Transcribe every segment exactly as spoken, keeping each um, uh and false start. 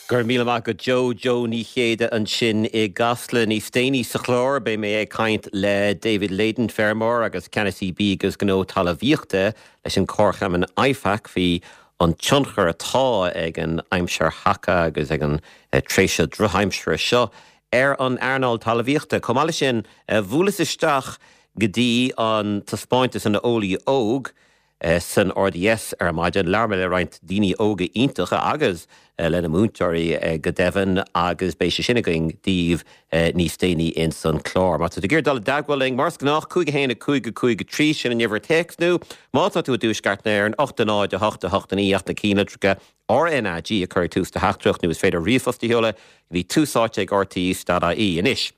Gur míle maith agat Joe Joe Ní Chéide ansin i gCasla níos déanaí sa chlár beidh mé ag caint le David Leyden feirmeoir agus ceannasaí bídh agus gnó talmhaíochta leis an Comharchumann IFAC faoi an tionchar atá ag an aimsir thaca agus ag an eh, tréimhse drochaimsire seo ar an earnáil talmhaíochta. Chomh maith sin bhuaileas isteach go dtí an taispeántas an Eolaí Óg, Eh, san RDS ar maidin labhair mé le roinnt daoine óga iontacha agus eh, lena múinteoirí eh, go deimhin agus beidh sé sin againn daoibh níos déanaí in san clár. Má tá tú ag dul i dteagmháil linn mar is gnách cúig a haon a cúig a cúig a trí sin an uimhir téacs nó má tá tú i dtuaisceart na hÉireann ocht a náid a hocht a hocht a naoi ach na ceannlitreacha RNAG a chur tús do theachtaireacht nó is féidir ríomhphost a sheoladh go dtí tús áite ag RTÉ dot ie anois.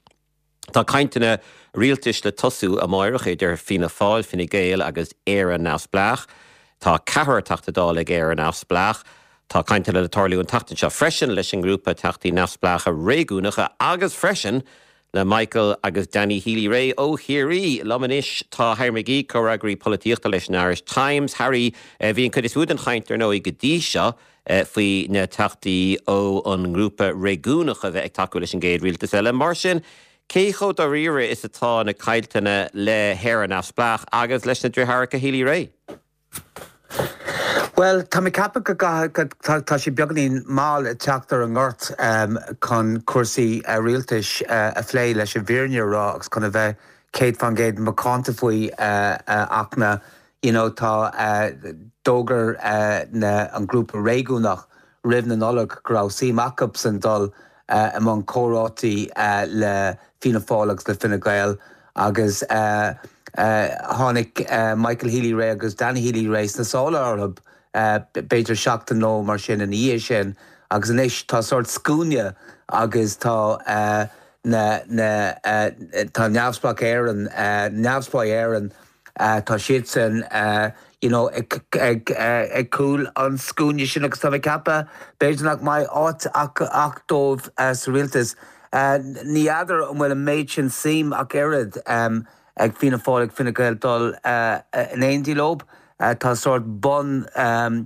Tá cainteanna rialtais le tosú amárach idir Fianna Fáil Fine Gael agus Éire Neamhspleách. Tá ceathrar Teachta Dála ag Éire Neamhspleách. Tá cainteanna le tarlú an tseachtain seo freisin leis an ngrúpa Teachtaí Neamhspleácha réigiúnacha agus freisin le Michael agus Danny Healy-Rae ó Chiarraí liom anois tá Harry McGee comhfhreagraí polaitíochta leis an Irish Times. Harry eh, bhí an chuid is mó den chaint ar ndóigh go dtí seo eh, faoi na teachtaí ó an ngrúpa réigiúnach a bheith ag tacú leis an gcéad rialtas eile. Mar sin, Cé chomh dáiríre is atá na cainteanna le hÉire Neamhspleách agus leis na deartháireacha Healy-Rae? Well tá mé ag ceapadh go tá sé beagáinín mall ag teacht ar an ngort um, chun cúrsaí uh, rialtais uh, a phlé leis an bhfírinne a rá agus chun a bheith céad faoin gcéad macánta faoi uh, uh, ach na you know, tá uh, d'fhógair uh, na an grúpa réigiúnach roimh na Nollag go raibh suim acusan dul uh, i mbun comhráití uh, le Fianna Fáil agus le Fine Gael agus uh, uh, tháinig uh, Michael Healy-Rae agus Danny Healy-Rae sna sála orthu uh, b'fhéidir seachtain nó mar sin ina dhiaidh sin agus anois tá sórt scuaine agus tá uh, na, na, uh, tá Neamhspleách Éireann uh, Neamhspleách Éireann uh, tá siad san uh, you know, ag, ag, uh, ag cúl an scuaine sin agus tá ceapadh b'fhéidir nach mbeidh áit ach, ach dóibh uh, sa rialtas. Uh, ní fheadar an bhfuil an méid sin suim ach oiread um, ag Fianna Fáil ag Fine Gael dul uh, in éindí leo, uh, tá sórt bun um,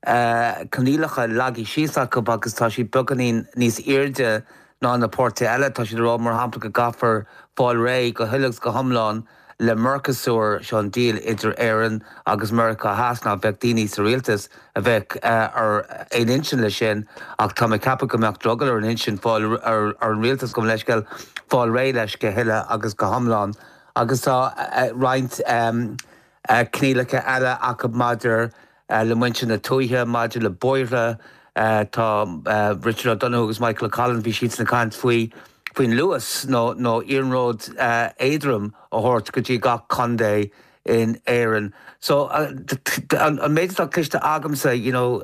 uh, coinníollacha leagtha síos acu agus tá siad beagáinín níos airde ná na páirtithe eile tá siad rá mar shampla go gcaithfear fáil réidh go huile go hiomlán le Mercosur seo an deal idir Éirinn agus Meiriceá Theas ná bheadh daoine sa rialtas a bheith uh, ar aon intinn le sin ach tá mé ag ceapadh go mbeadh drogall ar an intinn fáil ar, ar an rialtas go leisceil fáil réidh leis go huile agus go hiomlán agus tá uh, roinnt um, uh, coinníollacha eile acu maidir uh, le muintir na tuaithe maidir le bóithre uh, tá uh, Richard O'Donoghue agus Michael Collins bhí siad ag caint faoi faoin Luas nó nó iarnród uh, éadrom a thabhairt go dtí gach contae in Éirinn. So uh, an, an méid atá cloiste agamsa you know,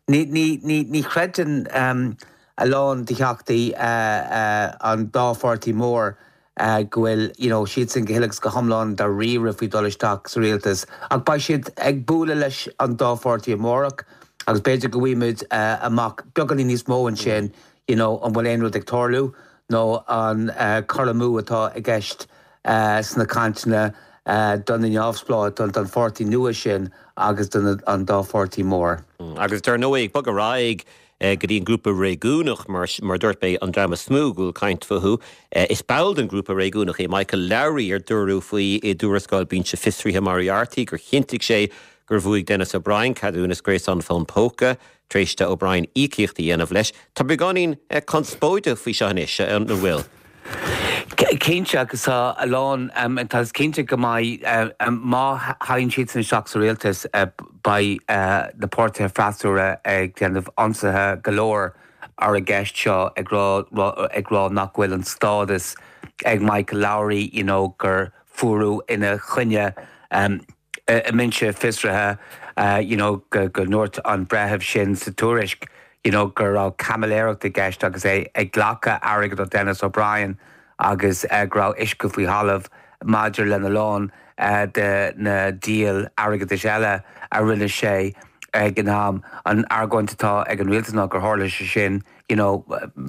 ní, ní, ní, ní chreideann um, a lán de theachtaí uh, uh, an dá pháirtí mór uh, go bhfuil you know, siad sin go huile go hiomlán dáiríre faoi dul isteach sa rialtas. Ach beidh siad ag bualadh leis an dá pháirtí amárach agus b'fhéidir go bhfaighimid uh, amach beagáinín níos mó ansin you know, an bhfuil aon rud ag tarlú nó an uh, cur amú atá i gceist uh, sna cainteanna uh, don neamhspleách don don pháirtí nua sin agus don an dá pháirtí mór. Mm, agus dar ndóigh bog ar aghaidh go dtí an grúpa réigiúnach mar mar dúirt mé an dream is mó go bhfuil caint fúthu. Is ball den grúpa réigiúnach é Michael Lowry ar dúradh faoi i dtuarascáil binse fiosraithe Moriarty gur chinntigh sé gur bhuaigh Denis O'Brien ceadúnas gréasán fón póca, tar éis d'O'Brien íocaíocht a dhéanamh leis, Tá beagáinín conspóide faoi seo anois an bhfuil. Cinnte agus tá a lán tá cinnte go mbeidh má thagann siad san isteach sa rialtas beidh na páirtithe freasúra ag déanamh ionsaithe go leor ar an gceist seo ag ag rá nach bhfuil an stádas ag Michael Lowry you know, gur fuaradh ina choinne um, i mbinse fiosraithe uh, you know, go, go ndúirt an breitheamh sin sa tuairisc you know, gur raibh caimiléireacht i gceist agus é ag glacadh airgead ó Denis O'Brien agus uh, go raibh uisce faoi thalamh maidir lena lán uh, de na deal airgeadais eile a rinne sé ag an am an argóint atá ag an rialtas ná gur tharla sé sin you know,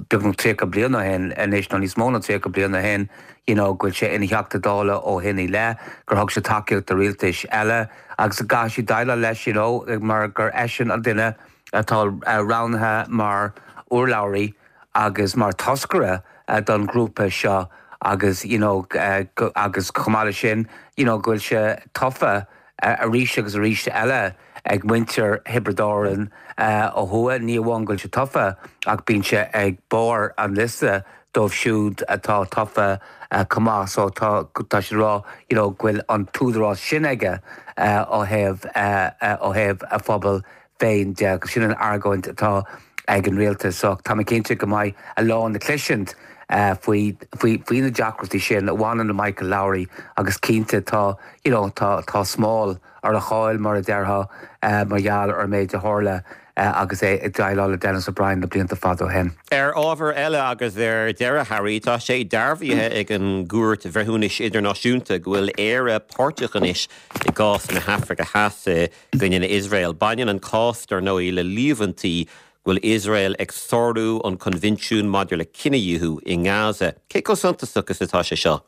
beagnach tríocha bliain ó shin anois nó níos mó ná tríocha bliain ó shin you know, go bhfuil sé ina Theachta Dála ó shin i leith gur thug sé tacaíocht do rialtais eile agus go gcaithfidh siad déileáil leis you know, mar gur eisean an duine atá roghnaithe mar urlabhraí agus mar toscaire don ghrúpa seo agus you know agus chomh maith leis sin you know go bhfuil sé tofa arís agus arís eile ag muintir Thiobraid Árann ó thuaidh ní amháin go bhfuil sé tofa ach bíonn sé ag barr an liosta dóibh siúd atá tofa chomh maith so tá tá sé rá you know go bhfuil an t-údarás sin aige ó thaobh ó thaobh a phobal féin de agus sin an argóint atá ag an rialtas so tá mé cinnte go mbeidh a lán le cloisint faoi faoi faoi na deacrachtaí sin a bhaineann le Michael Lowry agus cinnte tá you know tá tá smál ar a cháil mar a déarfá mar gheall ar an méid a tharla agus é ag déileáil le Denis O'Brien na blianta fada ó shin. Ar ábhar eile agus ar deireadh Harry tá sé dearbhaithe ag an gCúirt Bhreithiúnais Idirnáisiúnta go bhfuil Éire páirteach anois i gcás na hAfraice Theas i gcoinne Iosrael. Baineann an cás dar ndóigh le líomhaintí go bhfuil Iosrael ag sárú an Coinbhinsiún maidir le cinedhíothú i nGaza. Cé chomh suntasach is atá sé seo?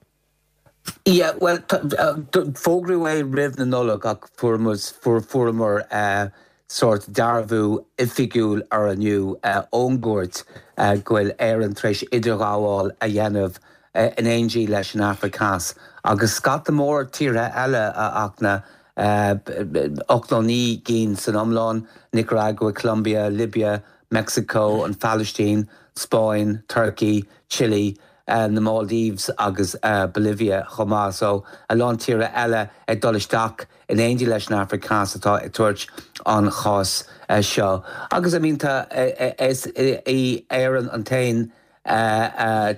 Yeah, well fógraíodh é roimh na Nollag ach fuaireamar sórt dearbhú oifigiúil ar inniu ón gcúirt go bhfuil Éirinn tar éis idirghabháil a dhéanamh in éindí leis an Afraic Theas. Agus scata mór tíortha eile a Fhachtna ocht nó naoi gcinn san iomlán, Nicaragua, Colombia, Libya, Mexico, an Phalaistín, Spáinn, Turkey, Chile, na Maldives agus Bolivia chomh maith. So a lán tíortha eile ag dul isteach in éindí leis an Afraic Theas atá ag tabhairt an chás seo. Agus I mean tá is í Éirinn an t-aon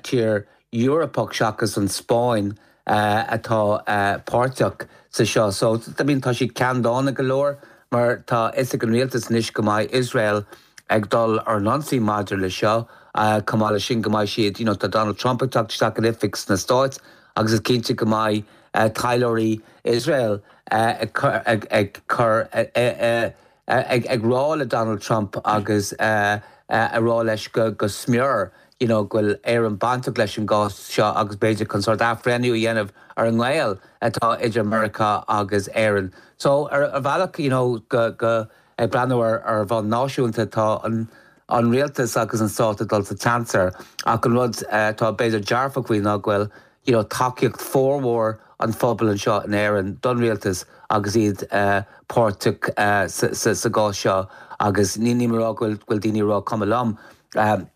tír Eorpach seachas an Spáinn atá páirteach sa seo. So I mean tá siad ceanndána go leor mar tá fhios ag an rialtas anois go mbeidh Iosrael ag dul ar an ionsaí maidir le seo chomh maith leis sin go mbeidh siad you know, tá Donald Trump ag teacht isteach in oifig sna Stáit agus is cinnte go mbeidh taidhleoirí Iosrael ag cur ag rá le Donald Trump agus a rá leis go go smior you know, go bhfuil Éirinn bainteach leis an gcás seo agus b'fhéidir chun sórt athbhreithniú a dhéanamh ar an ngaol atá idir Meiriceá agus Éirinn. So ar a bhealach you know, go, go ag breathnú ar ar bhonn náisiúnta tá an an rialtas agus an stát ag dul sa tseans ach an rud atá b'fhéidir dearfach faoi ná go bhfuil you know, tacaíocht formhór an phobail anseo in Éirinn don rialtas agus iad uh, páirteach uh, sa, sa, sa gcás seo agus ní ní rá go bhfuil daoine rá cuma liom. Um,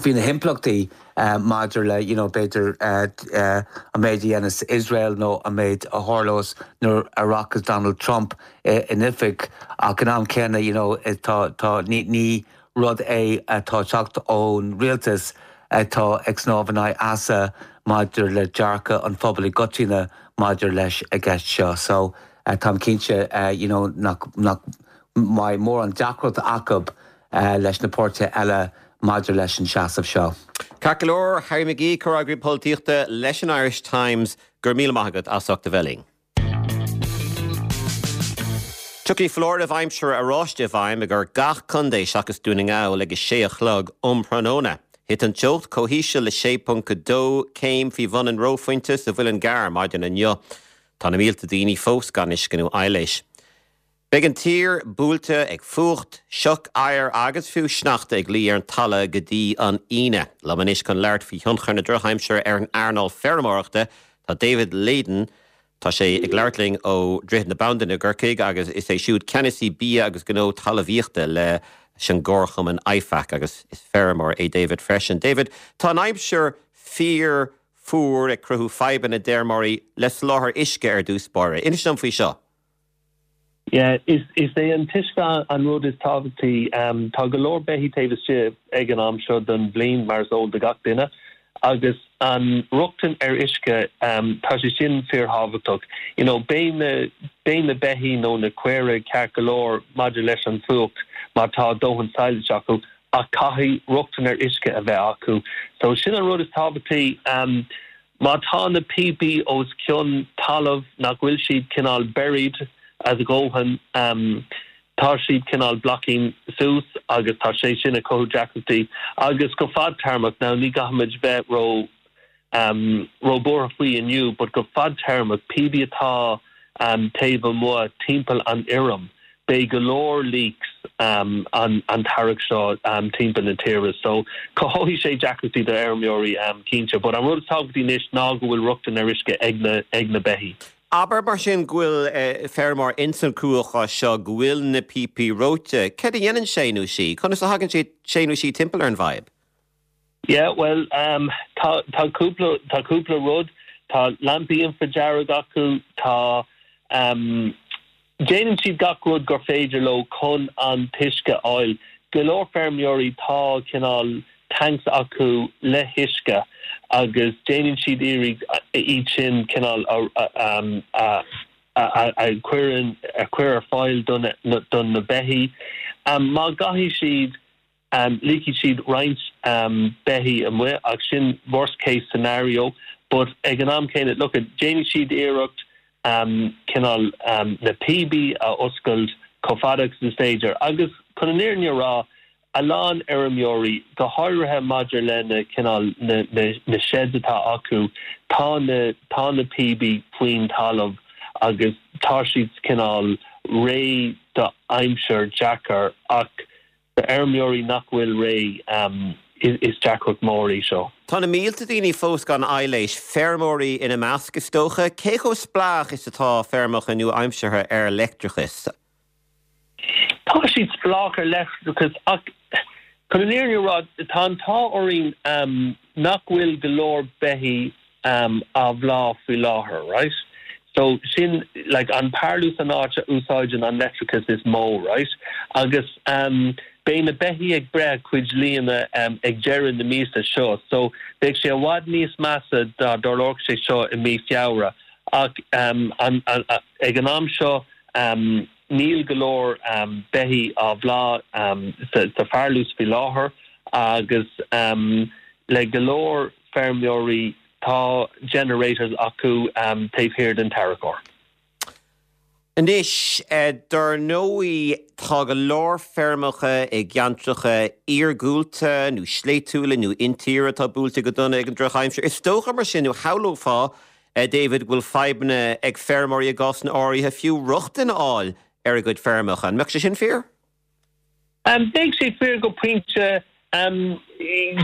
Bhí na himpleachtaí uh, maidir le you know, b'fhéidir uh, uh, an méid a dhéanas Israel nó an méid a tharlós nuair a rachas Donald Trump in oifig ach an am céanna you know, tá, tá, ní, ní rud é atá teacht ón rialtas atá ag snámh in aghaidh easa maidir le dearcadh an phobail i gcoitinne maidir leis an gceist seo. So uh, táim cinnte uh, you know, nach, nach mbeidh mórán deacracht acu uh, leis na páirtithe eile maidir leis an seasamh seo. Ceart go leor Harry McGee comhfhreagraí polaitíochta leis an Irish Times go raibh míle maith agat as ucht a bheith linn. Tiocfaidh foláireamh aimsire oráiste i bhfeidhm ar gach contae seachas Dún na nGall ag a sé a chlog um thráthnóna. Thit an teocht chomh híseal le sé ponc dó céim faoi bhun an reophointe sa Mhuileann gCearr maidin inniu. Tá na mílte daoine fós gan uisce nó aibhléis. Beidh an tír buailte ag fuacht, sioc oighir agus fiú sneachta ag luí ar an talamh go dtí an Aoine. Liom anois chun labhairt faoi thionchar na drochaimsire ar an earnáil feirmeoireachta tá David Leyden, Tá sé ag labhairt linn ó Dhroichead na Bandan i gCorcaigh agus is é siúd ceannasaí bia agus gnó talmhaíochta leis an gComharchumann IFAC agus is feirmeoir é David freisin. David, tá an aimsir fíor fuar ag cruthú fadhbanna d'fheirmeoirí le soláthar uisce ar dtús báire. Inis dom faoi seo. Yeah, is is é an t-uisce an rud is tábhachtaí um, tá go leor beithígh taobh istigh ag an am seo den bhliain mar is eol do gach duine agus an rochtain ar uisce um, tá sé sin fíorthábhachtach. You know, beidh na beidh na beithígh nó na caora ceart go leor maidir leis an fuacht má tá dóthain sadhlais acu ach caithfidh rochtain ar uisce a bheith acu. So sin an rud is tábhachtaí um, má tá na píopaí os cionn talamh nach bhfuil siad cineál buried a dhóthain um, tá siad cineál blocking suas agus tá sé sin ag cothú deacrachtaí agus go fadtéarmach now ní gcaithfimid bheith ró um, róbhuartha faoi inniu, but go fadtéarmach píopaí atá um, taobh amuigh timpeall an fheirm, beidh go leor leaks um, an, an t-earrach seo um, timpeall na tíre. So cothóidh sé deacrachtaí do fheirmeoirí um, cinnte, but an rud tábhachtach anois ná go bhfuil rochtain ar uisce ag na, ag na beithígh. Abair mar sin go bhfuil eh, feirmeoir insan cruachás seo go bhfuil na píopaí reoite, Cad a dhéanann sé nó sí, Conas a thagann sé sé nó sí timpeall ar an bhfadhb? Yeah, well um, tá tá cúpla tá cúpla rud, tá lampaí infradearg acu, tá um, déanann siad gach rud gur féidir leo chun an t-uisce a fháil. Go leor feirmeoirí tá cineál tanks acu le huisce agus déanann siad iarraidh iad sin cineál a a a chur a chur ar fáil don don na beithígh. Um, má gcaithfidh siad um, ligfidh siad roinnt um, beithígh amuigh ach sin worst case scenario, but ag an am céanna look at déanann siad iarracht um, cineál um, na píopaí a oscailt chomh fada agus is féidir agus chun an fhírinne a rá a lán fheirmeoirí go háirithe maidir le na cineál na, na, na sheds atá acu tá na tá na píopaí faoin talamh agus tá siad cineál réidh do aimsir deacair ach d'fheirmeoirí nach bhfuil réidh um, is, is deacracht mór í seo. Tá na mílte daoine fós gan aibhléis feirmeoirí ina measc is dócha, cé chomh spleách is atá feirmeacha nua-aimseartha ar leictreachas. Tá siad spleách ar leictreachas ach chun an fhírinne a rá tá an t-ádh orainn um, nach bhfuil go leor beithígh um, á bplá faoi láthair, right? So sin like an parlús an áit a úsáideann an leictreachas is mó, right? Agus um, beidh na beithígh ag breith cuid líne um, ag deireadh na míosa seo. So beidh sé i bhfad níos measa dá dtarlódh sé seo i mí Feabhra. Ach um, an, an, a, ag an am seo um, níl go leor um, beithígh á bplá um, sa, sa pharlús faoi láthair agus um, le go leor feirmeoirí tá generators acu um, taobh thiar den tarracóir. Anois eh, dar ndóigh tá go leor feirmeacha i gceantracha iargúlta nó sléibhtiúla nó intíre atá buailte go dona ag an drochaimsir. Is dócha mar sin nó shamhlófá eh, David bhfuil fadhbanna ag feirmeoirí i gcásanna áirithe fiú rochtain a fháil ar a gcuid feirmeacha. An mbeadh sé sin fíor? Um, Beidh sé fíor go pointe um,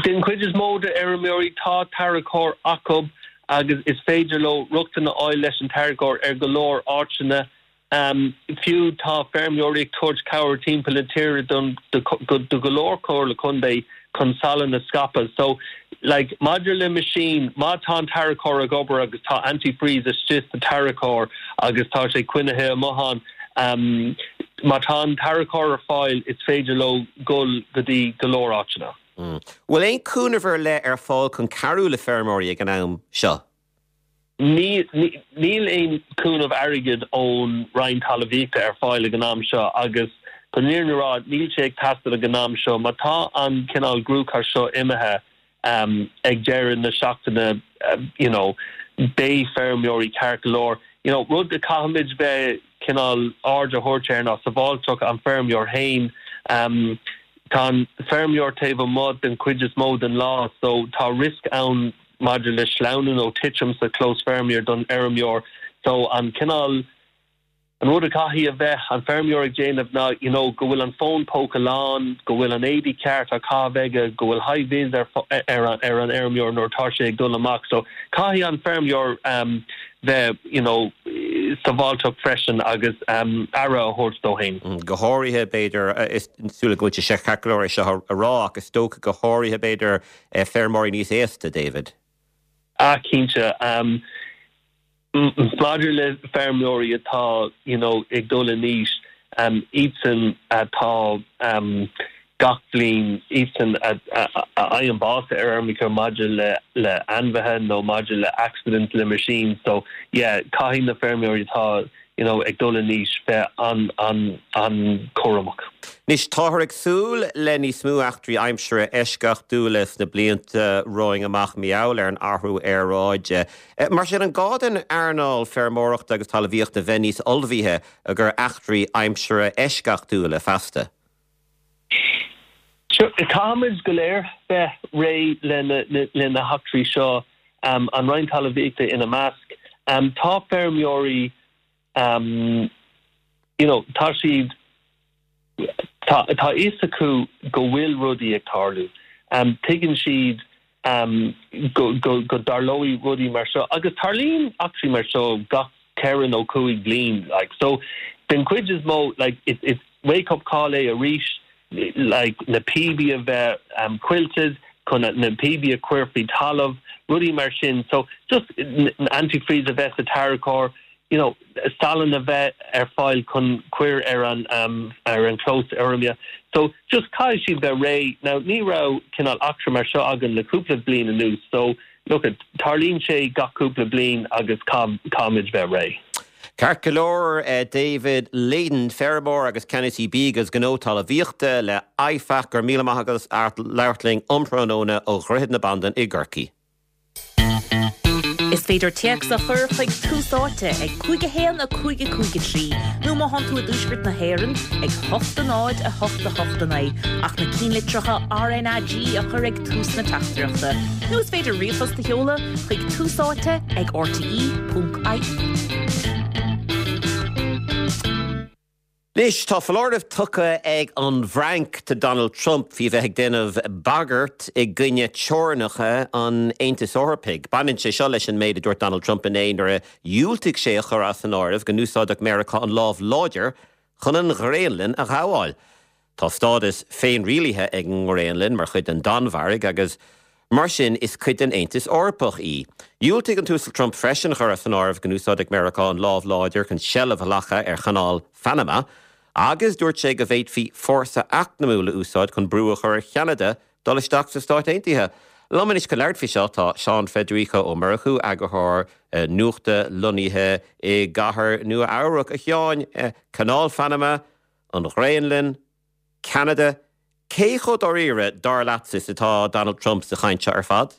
den chuid is mó de fheirmeoirí tá tarracóir acu agus is féidir leo rochtain a fháil leis an tarracóir ar go leor áiteanna. Um, fiú tá feirmeoirí ag tabhairt cabhair timpeall na tíre don do go leor comhairle contae chun salann a scaipeadh. So like maidir le machine má tá an tarracóir ag obair agus tá antifreeze istigh sa tarracóir agus tá sé coinnithe amuigh um, má tá an tarracóir ar fáil is féidir leo dul go dtí go leor áiteanna. Mm. Bhfuil aon chúnamh ar leith ar fáil chun cabhrú le feirmeoirí ag an am seo? Níl aon chúnamh airgid ón Roinn Talmhaíochta ar fáil ag an am seo agus chun an fhírinne a rá níl sé ag teastáil ag an am seo, má tá an cineál cruachás seo imithe um, ag deireadh na seachtaine um, you know, beidh feirmeoirí ceart go leor. You know, rud a caithfimid bheith cineál aird a thabhairt air ná sábháilteacht an feirmeoir féin. Um, tá an feirmeoir taobh amuigh den chuid is mó den lá, so tá risk ann maidir le sleamhnú nó titim sa clós feirmeoir don fheirmeoir. So an cineál an rud a caithfidh a bheith an feirmeoir ag déanamh ná you know, go bhfuil an fón póca lán, go bhfuil an éadaí ceart á chaitheamh aige, go bhfuil high vis ar, ar, ar an fheirmeoir nuair atá sé ag dul amach. So caithfidh an feirmeoir um, bheith you know, sábháilteach freisin agus um, aire a thabhairt dó féin. Mm, go háirithe b'fhéidir is súla go sé ceolóir seo a rá agus dócha go háirithe b'fhéidir eh, feirmeoirí níos aosta David. Ah cinnte um, maidir le feirmeoirí atá you know, ag dul in aois um, iadsan atá um, gach bliain iadsan a fhaigheann bás ar fheirmeacha maidir le le ainmhithe nó maidir le accident le machine so yeah caithfidh na feirmeoirí atá you know, ag dul in aois bheith an an an cúramach. Anois táthar ag súil le níos mó eachtraí aimsire eisceachtúla sna blianta romhainn amach mar gheall ar an athrú aeráide. Mar sin an gá don earnáil feirmeoireachta agus talmhaíochta bheith níos ullmhaithe do eachtraí aimsire eisceachtúla feasta. Caithfimid go léir bheith réidh le na heachtraí seo um, an Roinn Talmhaíochta ina measc. Um, tá feirmeoirí um, you know, tá siad Tá tá fhios acu go bhfuil rudaí ag tarlú. Um, tuigeann siad um, go, go, go dtarlóidh rudaí mar seo agus tarlaíonn eachtraí mar seo gach ceithre nó cúig bliain like so den chuid is mó like it, it's wake up call é arís like na píopaí a bheith um, coillte chun na píopaí a chur faoi talamh rudaí mar sin so just antifreeze a bheith sa tarracóir you know salann a bheith ar fáil chun cur ar an um, ar an clós feirme so just caithfidh siad bheith réidh now ní raibh cineál eachtra mar seo againn le cúpla bliain anuas so look at tarlaíonn sé gach cúpla bliain agus caithfimid bheith réidh. Ceart go leor uh, David Leyden feirmeoir agus ceannasaí bídh agus gnó talmhaíochta le IFAC go raibh míle maith agat as labhairt linn um thráthnóna ó Dhroichead na Bandan i gCorcaigh. Is féidir téacs a chur chuig Tús Áite ag cúig a haon a cúig a cúig a trí, nó má tá tú i dtuaisceart na hÉireann ag hocht a náid a hocht a hocht a naoi ach na ceannlitreacha RnaG a chur ag tús na teachtaireachta. Nó is féidir ríomhphost a sheoladh chuig Tús Áite ag RTE.ie. Anois tá foláireamh tugtha ag an bhFrainc do Donald Trump faoi bheith ag déanamh bagairt i gcoinne teorainneacha an Aontais Eorpaigh. Baineann sé seo leis an méid a dúirt Donald Trump inné nuair a dhiúltaigh sé a chur as an áireamh go n-úsáidfeadh Meiriceá an lámh láidir chun an Ghraonlainn a ghabháil. Tá stádas féinrialaithe ag an nGraonlainn mar chuid den Danmhairg agus mar sin is cuid den Aontas Eorpach í. Dhiúltaigh an tUasal Trump freisin chur as an áireamh go n-úsáidfeadh Meiriceá an lámh láidir chun seilbh a ghlacadh ar Chanáil Phanama, agus dúirt sé go bhféadfaí fórsa eacnamúil a úsáid chun brú a chur ar Cheanada dul isteach sna Stáit Aontaithe. Liom anois chun labhairt faoi seo tá Seán Federico Ó Murchú eagarthóir eh, nuachta lonnaithe i gcathair Nua Eabhrac a Sheáin eh, Canáil Phanama, an Ghraonlainn, Ceanada, Cé chomh dáiríre dar leatsa is atá Donald Trump sa chaint seo ar fad?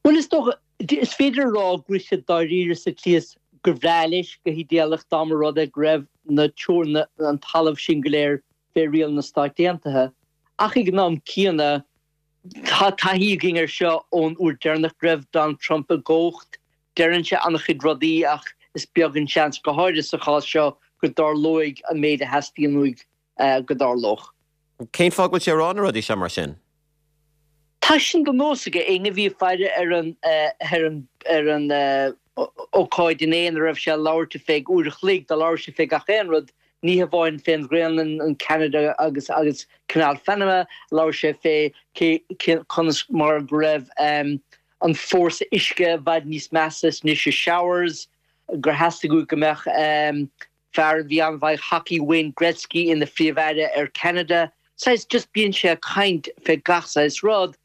Well is dócha is féidir rá go bhfuil sé dáiríre sa tslí is gur bhreá leis go hidéalach dá mba rud é go raibh na teorainn an talamh sin go léir fé riail na Stát Aontaithe. Ach ag an am céanna tá taithí againn ar seo ón uair deireanach go raibh Donald Trump i gcumhacht, deireann sé an-chuid rudaí ach is beag an seans go háirithe sa chás seo go dtarlóidh an méid a theastaíonn uaidh uh, go dtarlódh. Cén fáth go bhfuil sé ag rá na rudaí seo mar sin? Tá sin de nós aige éinne a bhí ag faire ar an ar an ar an ócáid inné a raibh sé ag labhairt feadh uair a chloig do labhair sé fé gach aon rud ní hamháin fén Ghraonlainn an Canada agus agus Canal Phanama labhair sé fé conas mar go raibh um, an fórsa uisce i bhfad níos measa anois i showers gur theastaigh uaidh go mbeadh um, fear a bhí an-mhaith hockey Wayne Gretzky ina phríomh-aire ar Canada. Saghas just bíonn sé ag caint fé gach saghas rud,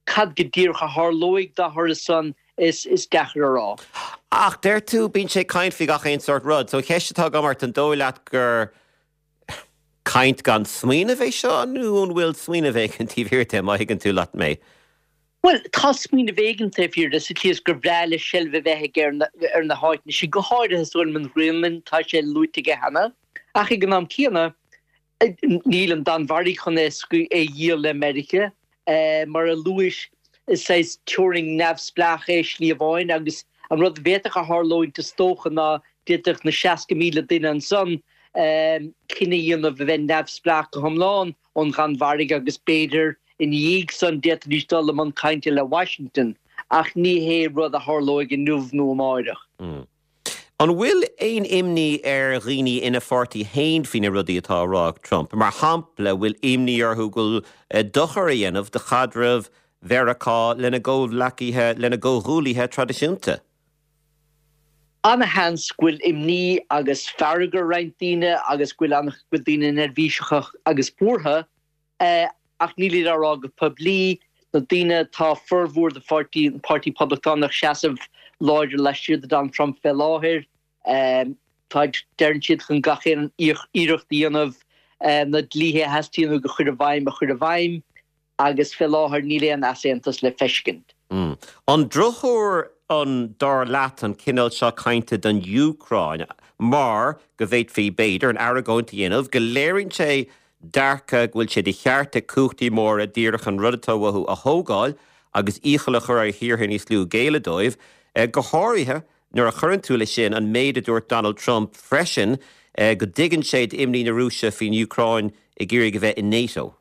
cad go díreach a tharlóidh dá thoradh san is is deacair a rá. Ach deir tú bíonn sé ag caint faoi gach aon sórt rud, so ceist atá agam ort an dóigh leat gur caint gan smaoineamh é seo nó an bhfuil smaoineamh éigin taobh thiar de má thuigeann tú leat mé. Well tá smaoineamh éigin taobh thiar de sa tslí is gur bhreá leis seilbh a bheith aige ar na háiteanna sin go háirithe is dóigh liom an Ghraonlainn tá sé luaite aige cheana ach ag an am céanna Níl an Danmhairg chun é a dhíol le Meiriceá. Mar a luais, is saghas teorainn neamhspleách é slí amháin agus an rud a bhféadfadh a tharlóint is dócha ná d'fhéadfadh na seasca míle duine ansan cinneadh a dhéanamh a bheith neamhspleách go hiomlán ón Danmhairg agus b'fhéidir ina dhiaidh san d'fhéadfaidís dul i mbun cainte le Washington ach ní hé rud a tharlóidh inniu nó amáireach. An bhfuil aon imní ar dhaoine ina pháirtí féin faoi na rudaí atá á rá ag Trump? Mar shampla, bhfuil imní orthu go bhfuil dochar a dhéanamh do chaidreamh Mheiriceá lena gcomhghleacaithe, lena gcomhghuaillithe traidisiúnta? Ana-sheans go bhfuil imní agus fearg ar roinnt daoine agus go bhfuil an-chuid daoine neirbhíseach agus buartha. Ach níl á rá go poiblí, na daoine tá formhór de pháirtí an Páirtí Poblachtánach seasamh láidir laistiar de Donald Trump fé láthair. Tá deireann siad chun gach aon iarracht a dhéanamh na dlíthe a theastaíonn uaidh a chur i bhfeidhm a chur i bhfeidhm agus fé láthair níl aon easaontas le feiscint. An drochthuar an dar leat an cineál seo cainte don Úcráin mar go bhféadfaí b'fhéidir an argóint a dhéanamh go léiríonn sé dearcadh go bhfuil sé de cheart ag cumhachtaí móra díreach an rud atá uathu a thógáil agus iachall a chur ar thíortha níos lú géilleadh dóibh, go háirithe nuair a chuireann tú leis sin an méid a dúirt Donald Trump freisin go dtuigeann sé d'imní na Rúise faoin Úcráin ag iarraidh a bheith in NATO.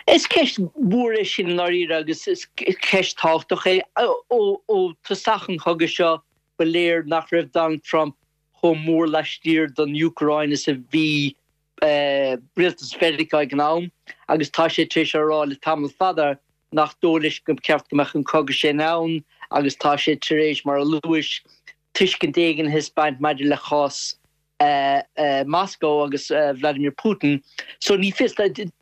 Is ceist mhór é sin i ndáiríre agus is ceist tábhachtach é. Ó tosach an chogaidh seo ba léir nach raibh Donald Trump chomh mór laistiar don Úcráin is a bhí rialtas Mheiriceá ag an am agus tá sé tar éis a rá le tamall fada nach dóigh leis gur ceart go mbeadh an cogadh sin ann agus tá sé tar éis, mar a luais, tuiscint éigin a thaispeáint maidir le cás Moscow agus Vladimir Putin. So ní fios,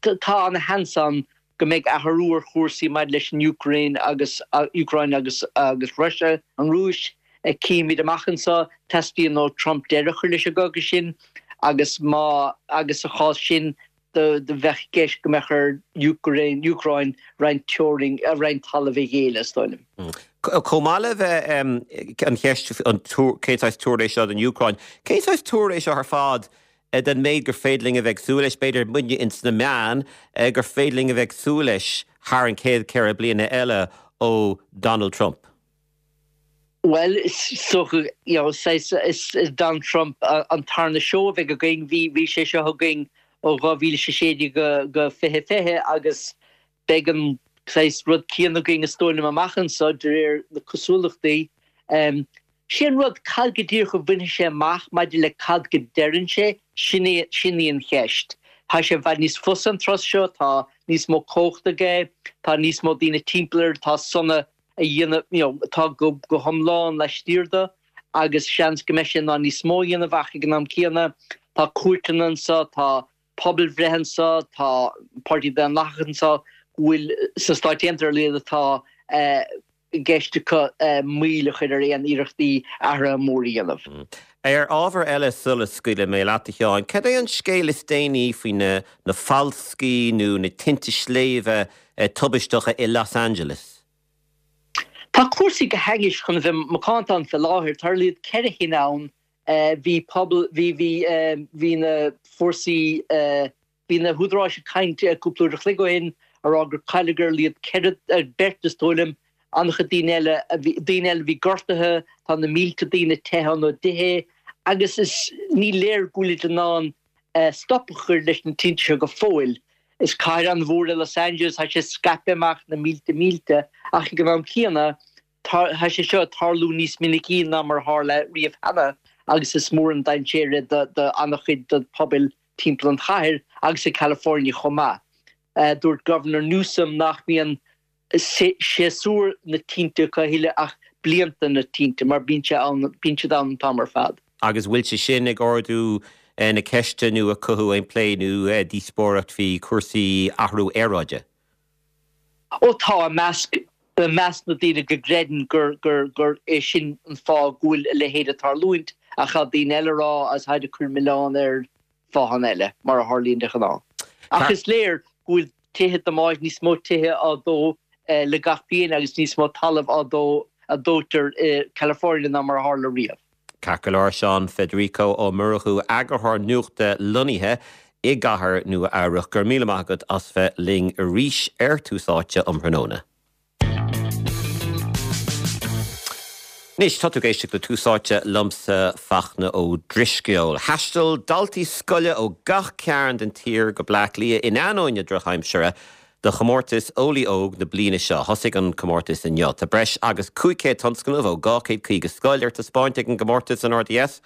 tá ana-sheans ann go mbeidh athrú ar chúrsaí maidir leis an Úcráin agus Úcráin agus agus Russia, an Rúis, címid amach anseo, teastaíonn ó Trump deireadh a chur leis an gcogadh sin agus má agus sa chás sin do bheadh i gceist go mbeadh ar Úcráin Úcráin roinnt teorainn roinnt talamh a ghéilleadh, is dóigh liom. Chomh maith le bheith an cheist an cén saghas tuar é seo don Úcráin, cén saghas tuar é seo ar fad den méid gur féidir linn a bheith ag súil leis, b'fhéidir muidne ins na meáin, gur féidir linn a bheith ag súil leis thar an chéad ceithre bliana eile ó Donald Trump? Bhuel, is dócha, you know, saghas, is is Donald Trump an tarna seó a bheidh againn. Bhí bhí sé seo againn ó dhá mhíle is a sé déag go go fiche fiche agus beidh an saghas rud céanna againn is dóigh liom amach anseo de réir na cosúlachtaí. Sé an rud, cad go díreach a bhainfidh sé amach maidir le cad go deireann sé, sin í sin í an cheist. Tá sé i bhfad níos fusa an turas seo, tá níos mó cumhachta aige, tá níos mó daoine timpeall air atá sona a dhéanamh, you know, atá go go hiomlán laistiar de agus seans go mbeidh sé in ann níos mó a dhéanamh ach ag an am céanna tá cúirteanna anseo, tá pobalbhreith anseo, tá Páirtí Daonlathach anseo go bhfuil sna Stáit Aontaithe ar a laghad atá i gceist acu moill a chur ar aon iarrachtaí athruithe móra a dhéanamh. Ar ábhar eile sula scaoilfidh mé leat, a Sheáin, cad é an scéal is déanaí faoi na na falscaí nó na tinte sléibhe tubaisteacha i Los Angeles? Tá cúrsaí go hainnis chun a bheith macánta ann fé láthair. Tá ar a laghad ceithre thine ann. Bhí pobal, bhí, bhí, bhí na fórsaí, bhí na húdaráis ag caint cúpla uair a chloig ó shin a rá gur cailleadh ar a laghad ceithre, beirt is dóigh liom, an-chuid daoine eile, daoine eile a bhí gortaithe, tá na mílte daoine teithe óna dtithe agus is, ní léir go bhfuilid in ann stop a chur leis na tinte seo go fóill. Is cathair an-mhór é Los Angeles, tá sé scaipthe amach na mílte mílte ach ag an am céanna tá sé seo ag tarlú níos minicí ná mar a tharla riamh cheana agus is mór an dainséar é do an-chuid de pobail timpeall an chathair agus i California chomh maith. Dúirt Governor Newsom nach mbíonn séasúr na tinte acu a thuilleadh ach blianta na tinte mar bíonn sé ann, bíonn siad ann an t-am ar fad. Agus bhfuil sé sin ag ardú na ceiste nó ag cothú aon plé nó díospóireacht faoi chúrsaí athrú aeráide? Ó tá, i measc, i measc na daoine go gcreideann gur, gur, gur é sin an fáth go bhfuil a leithéid ag tarlúint ach tá daoine eile ag rá agus táid ag cur milleán ar fáthanna eile, mar a tharlaíonn de ghnáth. Ach is léir go bhfuil tithe damáiste, níos mó tithe á dó le gach bliain agus níos mó talamh á dó, a dóitear i California ná mar a tharla riamh. Ceart go leor, Seán Federico Ó Murchú, eagarthóir nuachta lonnaithe i gcathair Nua Eabhrac. Go raibh míle maith agat as bheith linn arís ar Tús Áite um thráthnóna. Anois, tá tú ag éisteacht le Tús Áite liomsa, Fachtna Ó Drisceoil. Thaistil daltaí scoile ó gach cearn den tír go Bleá Cliath in ainneoin na drochaimsire do chomórtas Eolaí Óg na bliana seo. Thosaigh an comórtas inniu. Tá breis agus cúig chéad tionscnamh ó dhá chéad caoga scoil ar taispeáint ag an gcomórtas in R D S,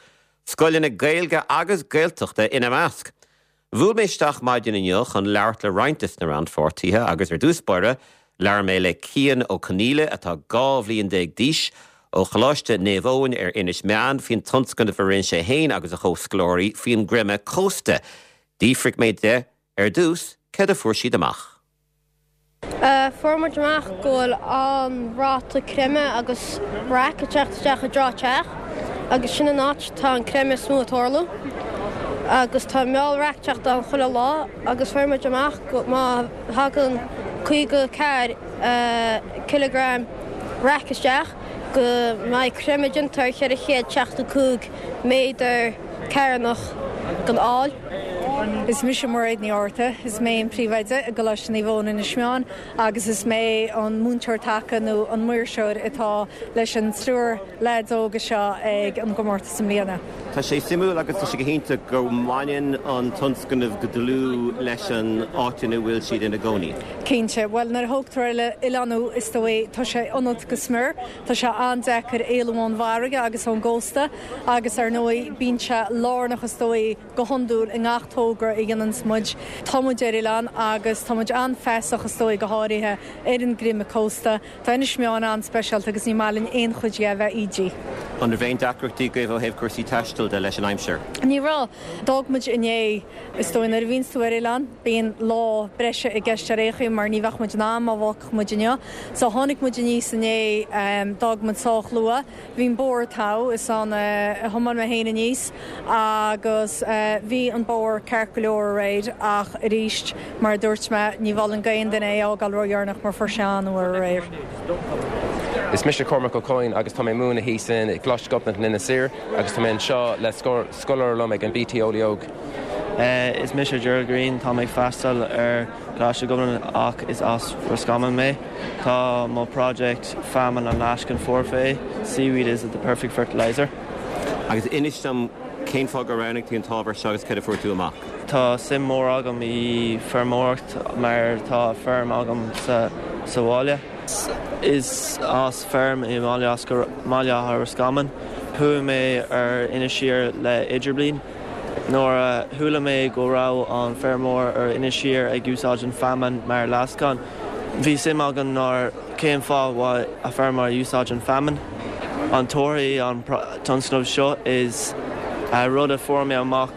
scoileanna Gaeilge agus Gaeltachta ina measc. Bhuail mé isteach maidin inniu chun labhairt le roinnt des na rannpháirtithe agus ar dtús báire, labhair mé le Cian Ó Conghaile, atá dhá bhliain déag d'aois, ó Choláiste Naomh Eoin ar Inis Meáin, faoin tionscnamh a rinne sé féin agus a chomhscoláirí faoin gcreimeadh cósta. D'fhiafraigh mé de ar dtús céard a fuair siad amach. Fuair muid amach go bhfuil an-ráta creimeadh agus raic ag teacht isteach i dTrá Teach agus sin an áit tá an creimeadh is mó ag tarlú agus tá meall raic ag teacht ann chuile lá agus fuair muid amach go má thagann caoga ceathair cileagram raic isteach go mbeidh creimeadh déanta ar cheithre chéad seachtó cúig méadar carnach den fhál. Is mise Mairéad Ní Fhátharta, is mé an príomhoide i gColáiste Naomh Eoin Inis Meáin agus is mé an múinteoir taca nó an maoirseoir atá leis an triúr leaids óga seo ag an gcomórtas i mbliana. Tá sé suimiúil agus tá sé go hiontach go mbaineann an tionscnamh go dlúth leis an áit ina bhfuil siad ina gcónaí. Cinnte, well nuair a thógtar oileán is dóigh tá sé ionat go smior, Tá sé an-deacair éalú ón bhfarraige agus ón gcósta agus ar ndóigh bíonn sé lárnach is dóigh go hiondúil i ngach togra a dhéanann muid. Tá muid ar oileán agus tá muid an-fheasach is dóigh go háirithe ar an gcreimeadh cósta, Tá Inis Meáin an-speisialta agus ní maith linn aon chuid dhe a bheith ídithe. An raibh aon deacrachtaí agaibh ó thaobh cúrsaí taistil de leis an aimsir. Ní raibh d'fhág muid inné is dóigh nuair a bhíonn tú ar oileán, bíonn lá breise i gceist ar aon chaoi mar ní bheadh muid in am má bhfágfadh muid inniu. So tháinig muid aníos inné d'fhág muid sách luath, bhí an bóthar togha is ann a thiomáin mé féin aníos agus bhí an bóthar ceart go leor aréir ach arís mar a dúirt mé ní mholfainn d'aon duine é a fhágáil ródheireanach mar fuair sé an-fhuar aréir. Is mise Cormac Ó Coinn agus tá mé ag múineadh thíos in Coláiste Ghobnait in Inis Oírr agus tá mé anseo le scoláire liom ag an BT Eolaí Óg. Is mise Gerald Green tá mé ag freastal ar Choláiste Ghobnait ach is as Roscommon mé. Tá mo project feamainn an fhleascán foirfe, seaweed is the perfect fertilizer. Agus inis dom cén fáth gur roghnaigh tú an t-ábhar seo agus cad a fuair tú amach. Tá suim mór agam i feirmeoireacht mar tá feirm agam sa sa bhaile. Is as feirm i mBaile Átha Roscommon. Chuaigh mé ar Inis Oírr le idirbhliain. Nuair a chuala mé go raibh an feirmeoir ar Inis Oírr ag úsáid an feamainn mar fhleascán. Bhí suim agam ná cén fáth bhfuil a feirmeoir úsáid an feamainn. An torthaí an tionscnamh seo is rud a fuair mé amach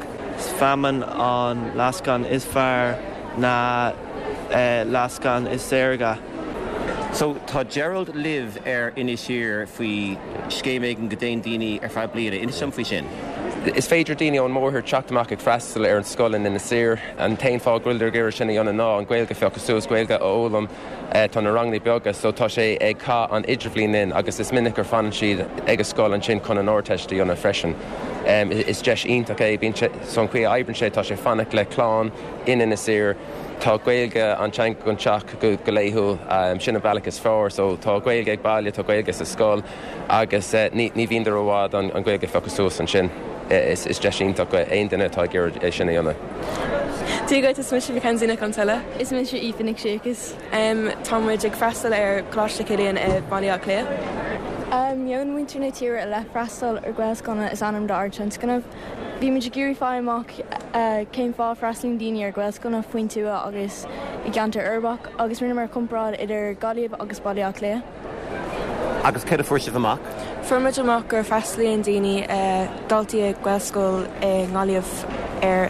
feamainn an fhleascán is fearr ná fhleascán is saorga. So tá Gerald libh ar Inis Oírr faoi scéim éigin go dtéann daoine ar feadh bliana inis dom faoi sin. Is féidir daoine ón mórthír teacht amach ag freastal ar an scoil in Inis Oírr an t-aon fáth go bhfuil ag sin a dhéanamh ná an Ghaeilge a phiocadh suas Gaeilge a fhoghlaim tá na ranganna beaga, so tá sé ag caitheamh an idirbhliain linn agus is minic gur fanann siad ag an scoil ansin chun an Ardteist a dhéanamh freisin. Um, is deis iontach é bíonn so an chaoi a oibríonn sé tá sé fanacht le clann in Inis Oírr Tá Gaeilge an teanga an teach go, go laethúil um, sin an bealach is fearr, so tá Gaeilge ag baile tá Gaeilge sa scoil agus uh, ní, ní bhíonn i bhfad an, an Ghaeilge a phiocadh suas ansin. Is, is deis iontach aon duine atá ag sin a dhéanamh. Dia duit is mise Mackenzie Nic an Tuile. Is mise Aoife Nic Séchas. Um, tá muid ag freastal ar Choláiste Chilliain i Baile Átha Cliath. Um, Meon muintir na tíre i leith freastal ar Ghaelscoileanna is ainm dár dtionscnamh. Bhí muid ag iarraidh fáil amach uh, cén fáth freastalaíonn daoine ar Ghaelscoileanna faoin tuath agus i gceantar uirbeach agus rinneamar comparáid idir Gaillimh agus Baile Átha Cliath. Agus cad a fuair sibh amach? Fuair muid amach gur freastalaíonn daoine uh, daltaí ag Gaelscoil i nGaillimh ar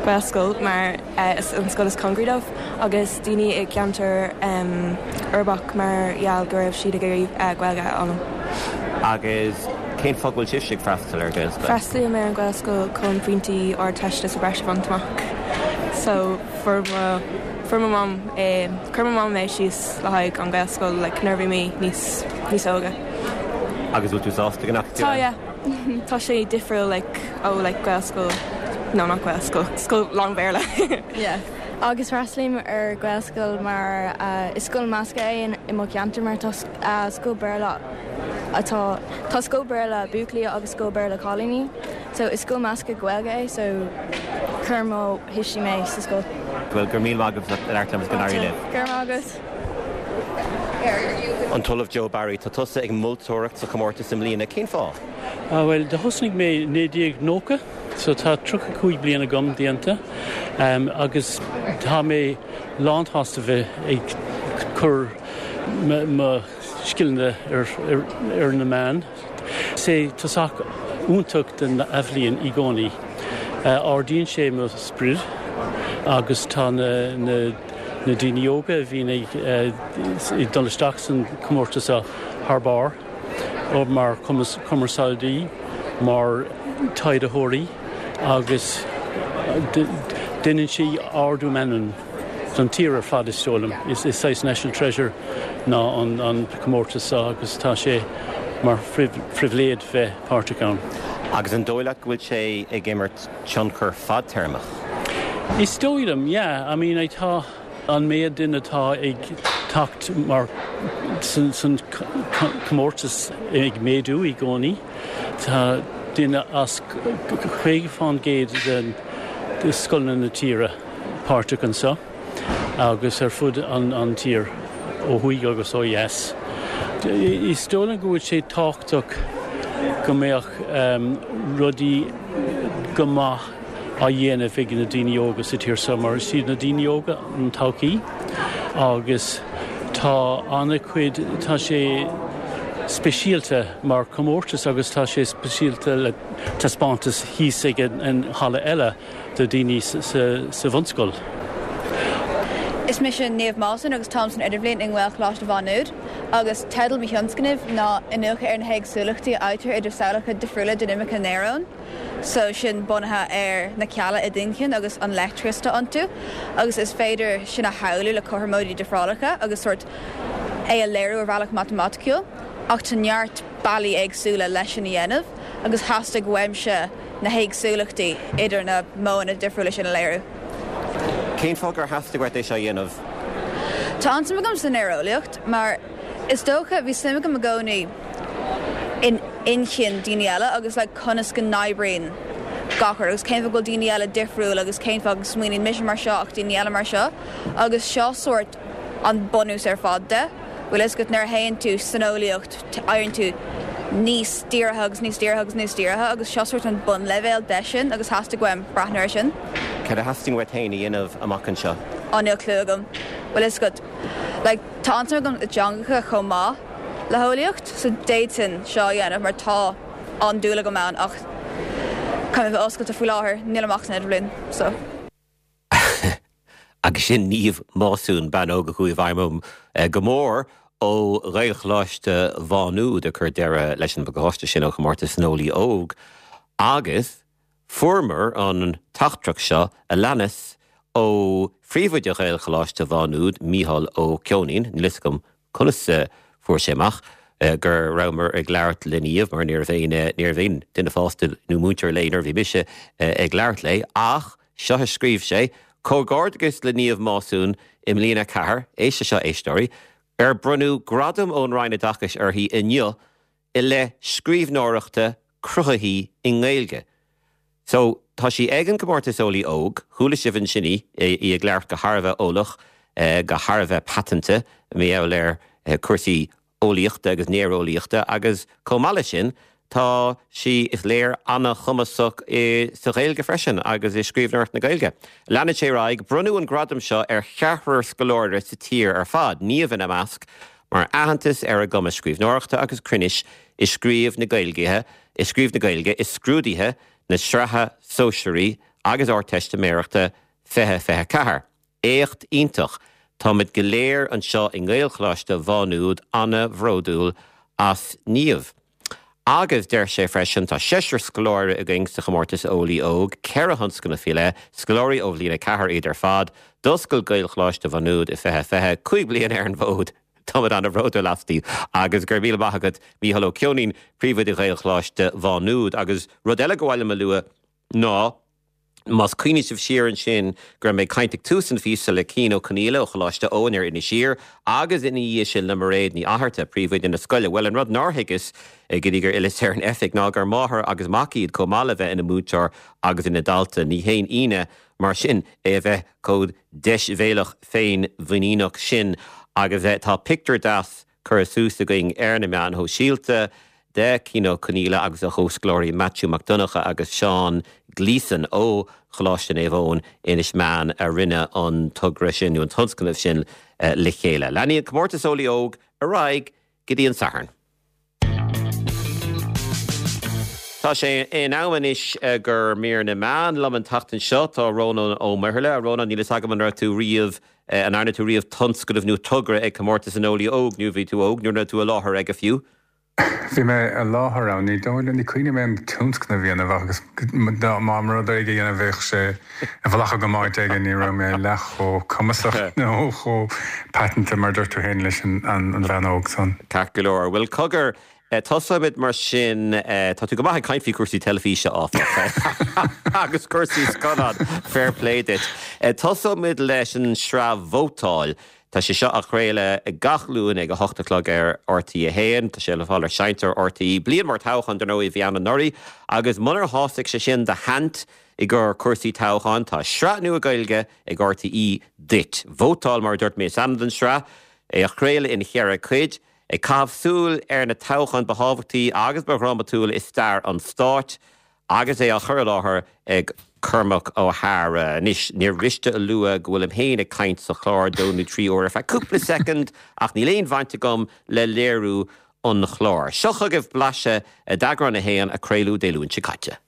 Gaelscoil mar uh, is an scoil is cóngaraí dóibh agus daoine i gceantar um, uirbeach mar gheall go raibh siad ag iarraidh uh, Gaeilge a fhoghlaim. Agus cén fáth bhfuil sibh ag freastal ar Gaelscoil? Freastalaím ar an Ghaelscoil chun pointí Ardteiste sa breis a bhaint amach. So fuair mo fuair mo mam eh, chuir mo mam mé síos le haghaidh an Ghaelscoil like, nuair bhí mé níos níos óige. Agus bhfuil tú sásta go Tá yeah. Tá sé difriúil like, ó like, Gaelscoil no not Gaelscoil scoil lán-Bhéarla. Yeah. Agus freastalaím ar Ghaelscoil mar uh, is scoil measctha é i mo cheantar mar tá uh, scoil Béarla atá tá scoil Béarla buachaillí agus scoil Béarla cailíní, so is scoil measctha Gaeilge é so chuir mo thuistí mé sa scoil. Well gur mí agus leir go náirí libh. Gur agus. An tOllamh Joe Barry tá tusa ag moltóireacht sa chomórtas i mbliana cén fáth? Uh, well, do thosnaigh mé naoi déag nócha, so tá tríocha cúig bliana agam déanta um, agus tá mé lánsásta bheith ag cur mo scileanna ar, ar, ar na meáin. Sé tosach iontach den bhliain i gcónaí. Uh, ardaíonn sé mo spiorad agus tá na, na, na daoine óga a bhíonn ag uh, dul isteach san comórtas thar barr ó mar cumarsáidí mar taighdeoirí agus déanann sí ardú meanman don tír ar fad is dóigh liom. Is is saghas national treasure ná an, an comórtas agus tá sé mar phribhléid bheith páirteach ann. Agus an dóigh leat go bhfuil sé ag imirt tionchar fadtéarmach. Is dóigh liom, yeah, I mean, tá an méid duine atá ag teacht mar san, san comórtas ag méadú i gcónaí. Tá duine as caoga faoin gcéad den de scoileanna na tíre páirteach anseo agus ar fud an, an tír ó thuaidh agus ó dheas. Is dóigh liom go bhfuil sé tábhachtach go mbeadh um, rudaí go maith á dhéanamh ag na daoine óga sa tír seo mar is iad na daoine óga an todhchaí agus tá an-chuid tá sé speisialta mar comórtas agus tá sé speisialta le taispeántas thíos ag an halla eile do daoine sa bhunscoil. Is mise Niamh Mawson agus táim san idirbhliain i nGaelcholáiste Mhá Nuad, agus teideal mo thionscnaimh ná iniúchadh ar na héagsúlachtaí a fhaightear idir samhlacha difriúla dinimice néarón. So sin bunaithe ar na cealla i d'inchinn agus an leictreachas atá iontu, agus is féidir sin a shamhlú le cothromóidí difreálacha agus sórt é a léiriú ar bhealach matamaiticiúil, ach tá neart bealaí éagsúla leis sin a dhéanamh agus theastaigh uaimse na héagsúlachtaí idir na modhanna difriúla sin a léiriú. Cén fáth gur theastaigh uait é seo a dhéanamh? Tá an-suim agam sa néareolaíocht mar is dócha bhí suim agam i gcónaí in inchinn daoine eile agus like conas go n-oibríonn gach rud agus cén fáth go bhfuil daoine eile difriúil agus cén fáth go smaoiníonn mise mar seo ach daoine eile mar seo agus seo sórt an bunús ar fad de. Bhfuil fhios agat nuair a théann tú san eolaíocht éiríonn tú níos dírithe agus níos dírithe agus níos dírithe agus seo sórt an bunleibhéal de sin agus theastaigh uaim breathnú air sin. Cad a theastaíonn uait féin a dhéanamh amach anseo? Á níl clue agam. Bhfuil fhios agat like tá an-suim agam i dteangacha chomh maith le heolaíocht so d'fhéadfainn seo a dhéanamh mar tá an-dúil agam ann ach caithfidh mé bheith oscailte faoi láthair nílim ach san idirbhliain so. Agus sin Niamh Másún bean óg a chuaigh i bhfeidhm orm go mór ó Ghaelcholáiste Mhá Nuad ag cur deireadh leis an bpacáiste sin ó chomórtas an Eolaí Óg agus fuaireamar an teachtaireacht seo a leanas ó phríomhoide Ghaelcholáiste Mhá Nuad, Mícheál Ó Ceoinín, níl fhios agam conas a fuair sé amach go rabhamar ag labhairt le Niamh mar ní raibh aon ní raibh aon duine fásta nó múinteoir léi nuair a bhí mise ag labhairt léi ach seo a scríobh sé, Comhghairdeachas le Niamh Másún i mbliain a ceathair, éist leis seo éisteoirí, ar bronnadh gradam ón Roinn Oideachais uirthi inniu i leith scríbhneoireachta cruthaithí i nGaeilge. So, tá sí ag an gcomórtas Eolaí Óg, chuala sibh ansin í, í ag labhairt go thar a bheith eolach, go thar a bheith paiteanta, mar gheall ar cúrsaí eolaíochta agus néareolaíochta agus chomh maith leis sin, tá sí, is léir, an-chumasach sa Ghaeilge freisin agus i scríbhneoireacht na Gaeilge. Leanann sé ar aghaidh, Bronnadh an gradam seo ar cheathrar scoláire sa tír ar fad, Niamh ina measc, mar aitheantas ar a gcumas scríbhneoireachta agus cruinnis i scríobh na Gaeilge i scríobh na Gaeilge i scrúduithe na Sraithe Sóisearaí agus Ardteistiméireachta fiche fiche a ceathair. Éacht iontach! Táimid go léir anseo i nGaelcholáiste Mhá Nuad an-bhródúil as Niamh. Agus deir sé freisin, tá seisear scoláire againn sa chomórtas Eolaí Óg, ceithre thionscnamh faoi leith, scoláirí ó bhliain a ceathair iad ar fad. D'oscail Gaelcholáiste Mhá Nuad i fiche fiche, cúig bliana ar an bhfód. Táimid an-bhródúil asti agus go raibh míle maith agat Mícheál Ó Ceoinín, Príomhoide Ghaelcholáiste Mhá Nuad. Agus rud eile gur mhaith liom a lua ná, más cuimhin sibh siar ansin go raibh mé ag caint ag tús an phíosa le Cian Ó Conghaile ó Choláiste Eoin ar Inis Oírr agus ina dhiaidh sin le Mairéad Ní Fhatharta, Príomhoide na scoile. Bhuel, an rud nár thuigeas go dtí gur fhilleas ar an oifig ná gur máthair agus mac iad chomh maith le bheith ina múinteoir agus ina dalta. Ní haon ionadh mar sin é a bheith chomh deisbhéalach féinmhuiníneach sin agus tá pictiúr deas curtha suas againn ar na meáin shóisialta de Cian Ó Conghaile agus a chomhscoláirí Maitiú Mac Donncha agus Seán Gleeson ó Choláiste Naomh Eoin, Inis Meáin a rinne an togra sin nó an tionscnamh sin le chéile. Leanfaidh an Comórtas Eolaí Óg ar aghaidh go dtí an Satharn. Tá sé in am anois gur mír na meán liom an tseachtain seo. Tá Rónán Ó Muirthile. A Rónán, níl fhios agam an raibh tú riamh, an ndearna tú riamh tionscnamh nó togra ag Comórtas an Eolaí Óg nó bhí tú óg nó an raibh tú i láthair aige fiú? Bhí mé i láthair ann. Ní dóigh liom, ní cuimhin liom aon tionscnamh a dhéanamh agus dá mba rud é a dhéanamh bheadh sé i bhfolach agam áit éigin, ní raibh mé leath chomh cumasach nó chomh paiteanta mar dúirt tú féin leis an bhean óg san. Ceart go leor. Bhuel cogar, Tosóimid mar sin tá tú go maith ag caint faoi cúrsaí teilifíse áfach agus cúrsaí scannán fair play duit. Tosóimid leis an sraith Vótáil. Tá sé seo á chraoladh gach Luan ag a hocht a chlog ar RTÉ a haon, tá sé le fáil ar Seinnteoir RTÉ. Bliain mór toghchán dar ndóigh a bhí ann anuraidh agus munar shásaigh sé sin do shaint i gcomhair cúrsaí toghcháin, tá sraith nua Gaeilge ag RTÉ duit. Vótáil mar a dúirt mé is ainm don sraith, é á chraoladh in cheithre cuid. Ag caitheamh súil ar na toghcháin ba thábhachtaí agus ba dhrámatúla i stair an stáit agus é á chur i láthair ag Cormac Ó hEadhra. Anois, níor mhiste a lua go bhfuilim féin ag caint sa chlár dó nó trí uair ar feadh cúpla soicind ach níl aon bhaint agam le léiriú an chláir. Seo chugaibh blaiseadh d'eagrán a haon a craoladh Dé Luain seo caite.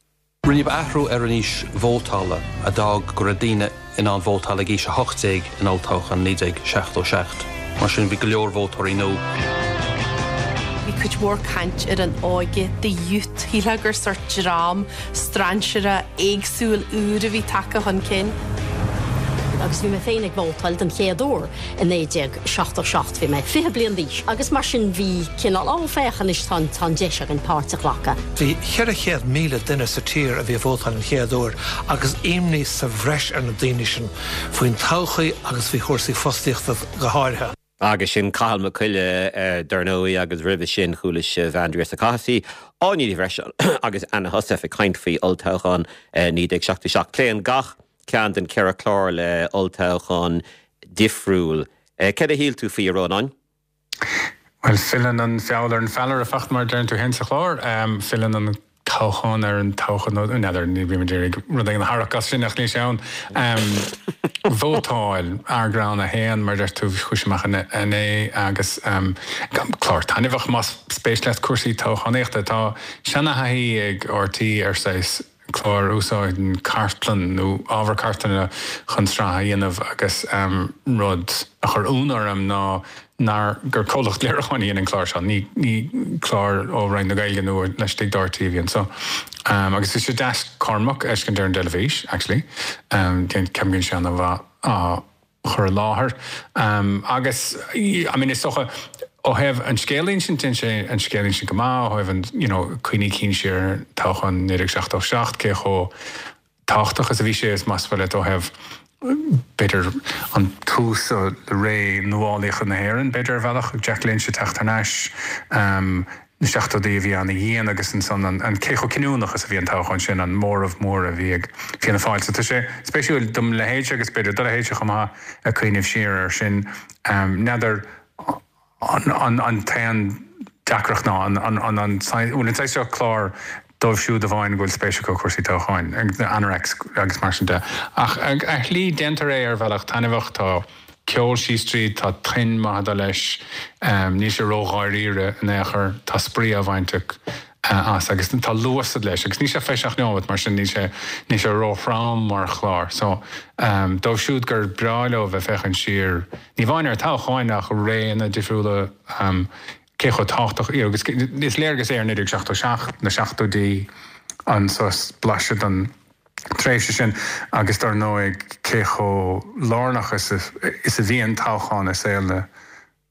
Rinneadh athrú ar an aois vótála a d'fhág go raibh daoine in ann vótáil ag aois a hocht déag in olltoghchán naoi déag seachtó seacht. Mar sin bhí go leor vótóirí nua. Bhí cuid mhór caint ar an óige, the youth, shílfeá gur sórt dream strainséartha éagsúil úr a bhí tagtha chun cinn. Agus bhí mé féin ag vótáil den chéad uair i naoi déag seachtó seacht, bhí mé fiche bliain d'aois agus mar sin bhí cineál á féach anois tá tá an deis againn páirt a ghlacadh. Bhí ceithre chéad míle duine sa tír a bhí ag vótáil an chéad uair agus imní sa bhreis ar na daoine sin faoin todhchaí agus faoi chúrsaí fostaíochta go háirithe. Agus sin Cathal Mac Coille dar ndóigh agus roimhe sin chuala sibh Aindrias Ó Cathasaigh, Áine Ní Bhreiseáin agus Anna Heussaff ag caint faoi olltoghchán naoi déag seachtó seacht. Pléann gach ceann den ceithre chlár le olltoghchán difriúil. Céard a shíl tú faoi a Rónáin? Bhuel, filleann an feall ar an feallaire feacht mar deireann tú féin sa chlár. Filleann an toghchán ar an toghchán nó n'fheadar ní bhím ag iarraidh rud éigin a tharrac as sin ach níl sé ann. Vótáil, eagrán a haon mar deir tú chuaigh sé amach inné agus clár taitneamhach más spéis leat cúrsaí toghchánaíochta. Tá seanathaithí ag RTÉ ar saghas clár úsáideann cartlann nó ábhar cartlainne chun sraith a dhéanamh agus rud a chuir ionadh orm ná nár gur comhlacht léiriúcháin a dhein an clár seo, ní ní clár ó Roinn na Gaeilge nó laistigh de RTÉ a bhí anso. Agus bhí sé deas Cormac a fheiscint ar an dteilifís actually. Ceapaim go bhfuil sé an-mhaith á chur i láthair. Agus I mean is dócha ó thaobh an scéal a insint déanann sé an scéal a insint go maith, ó thaobh an you know cuimhní cinn siar ar toghchán naoi déag seachtó seacht cé chomh tábhachtach is a bhí sé is más maith leat ó thaobh b'fhéidir an tús le ré nuálaíochta na hÉireann b'fhéidir ar bhealach Jack Lynch ag teacht thar n-ais na seachtóidí a bhí ana-dhian agus ansan an an cé chomh cinniúnach is a bhí an toghchán sin, an móramh mór a bhí ag Fianna Fáil. So tá sé spéisiúil dom leithéidse agus b'fhéidir do leithéidse chomh maith ag cuimhneamh siar air sin. N'fheadar an an an t-aon deacracht ná an an an an bhfuil an saghas seo clár dóibh siúd amháin go bhfuil spéis acu i gcúrsaí toghcháin, na anoraks agus mar sin de. Ach ar shlí déantar é ar bhealach taitneamhach, tá ceol síos tríd, tá tuin maith ag dul leis, níl sé ródháiríre in aon chor, tá spraoi á bhaint as agus tá luas leis agus níl sé fiche seacht neomat mar sin níl sé níl sé róthrom mar chlár. So dóibh siúd gur breá leo bheith féachaint siar, ní amháin ar toghcháin ach réanna difriúla, cé chomh tábhachtach agus is léargas é ar naoi déag seachtó seacht, na seachtóidí, an saghas blaiseadh den tréimhse sin agus dar ndóigh cé chomh lárnach is is a bhíonn toghchán i saol na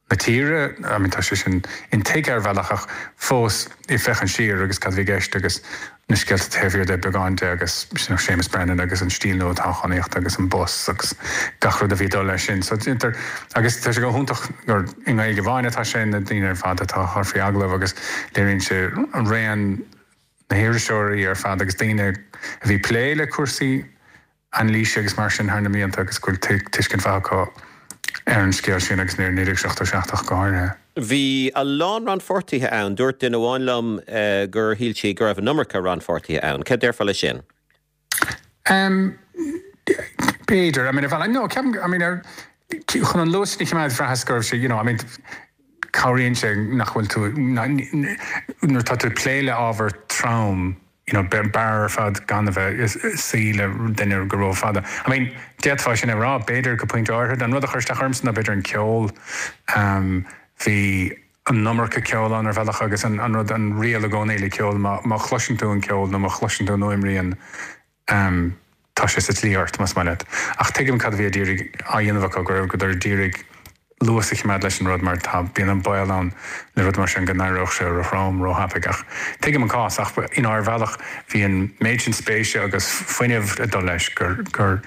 na tíre, I mean tá sé sin intuigthe ar bhealach ach fós ag féachaint siar agus cad a bhí i gceist agus na scéalta taobh thiar de beagán de agus you know Séamus Brennan agus an stíl nua toghchánaíochta agus an bus agus gach rud a bhí ag dul leis sin. So déantar agus tá sé go hiontach gur i nGaeilge amháin atá sé na daoine ar fad atá á chur faoi agallamh agus léiríonn sé raon na hiriseoirí ar fad agus daoine a bhí ag plé le cúrsaí anailíse agus mar sin thar na mblianta agus go bhfuil tuiscint mhaith acu ar an scéal sin agus ar naoi déag seachtó seacht ach go háirithe. Bhí a lán rannpháirtithe ann. Dúirt duine amháin liom gur shíl sí go raibh an iomarca rannpháirtithe ann. Cad déarfá leis sin? B'fhéidir. I mean, ar bhealach, no, ceapaim, I mean, ar, chun an luas sin a choimeád, bhraitheas go raibh sé, you know, I mean, cabhraíonn sé nach bhfuil tú, nuair atá tú ag plé le ábhar trom, you know, b'fhearr ar fad gan a bheith ag suí le duine go rófhada. I mean, d'fhéadfá sin a rá, b'fhéidir go pointe áirithe. An rud a chuir isteach ormsa ná b'fhéidir an ceol. Bhí an iomarca ceoil ann ar bhealach agus an rud, an riail i gcónaí le ceol, má má chloiseann tú an ceol nó má chloiseann tú an fhuaimrian, tá sé sa tslí ort, más maith leat. Ach tuigim cad a bhí á d'iarraidh á dhéanamh acu, go rabhadar ag iarraidh luas a choimeád leis an rud mar tá bíonn an baol ann le rud mar sin go n-éireodh sé róthrom róthapaidh ach tuigim an cás ach you know ar bhealach bhí an méid sin spéise agus fuinnimh ag dul leis gur gur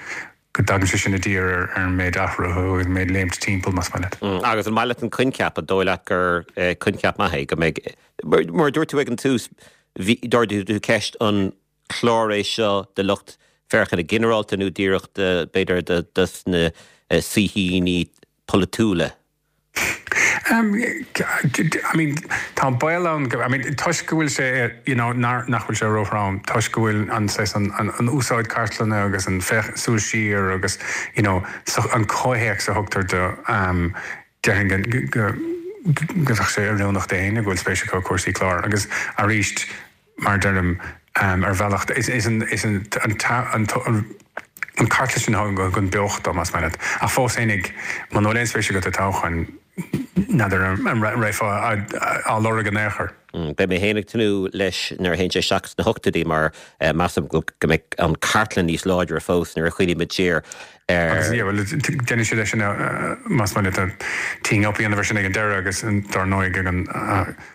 go dtagann sé sin i dtír ar ar an méid athrú agus an méid léimt timpeall más maith leat. Agus an maith leat an coincheap an dóigh leat gur coincheap maith é go mbeidh mar a dúirt tú ag an tús bhí d'ardaigh tú ceist an clár é seo do lucht féachana ginearálta nó díreach b'fhéidir do dos na saoithíní polaitiúla? Um, I mean, tá an baol ann I mean, toisc go bhfuil sé you know, nach bhfuil sé róthrom, toisc go bhfuil an, an, an, an úsáid cartlainne agus an féach súil siar agus you know, so, an comhthéacs a thugtar do um, déarfainn go, go, go bheadh sé oiriúnach d'éinne go bhfuil spéis acu i cúrsaí clár agus arís mar deirim um, ar bhealach is, is an, is an, an, an, an, an cartlann sin a thugann beocht dó más maith leat. Ach fós fhéinig muna bhfuil aon spéis agat i dtoghcháin n'fheadar an raibh á lorg in aon chor. Beidh mé féin ag tnúth leis nuair a théann sé isteach sna hochtóidí mar measaim go mbeidh an cartlann níos láidre fós nuair a chuimhnímid siar ar. Agus yeah, well, déanann siad é sin más maith leat teeing up a dhéanamh air sin ag an deireadh agus dar ndóigh ag an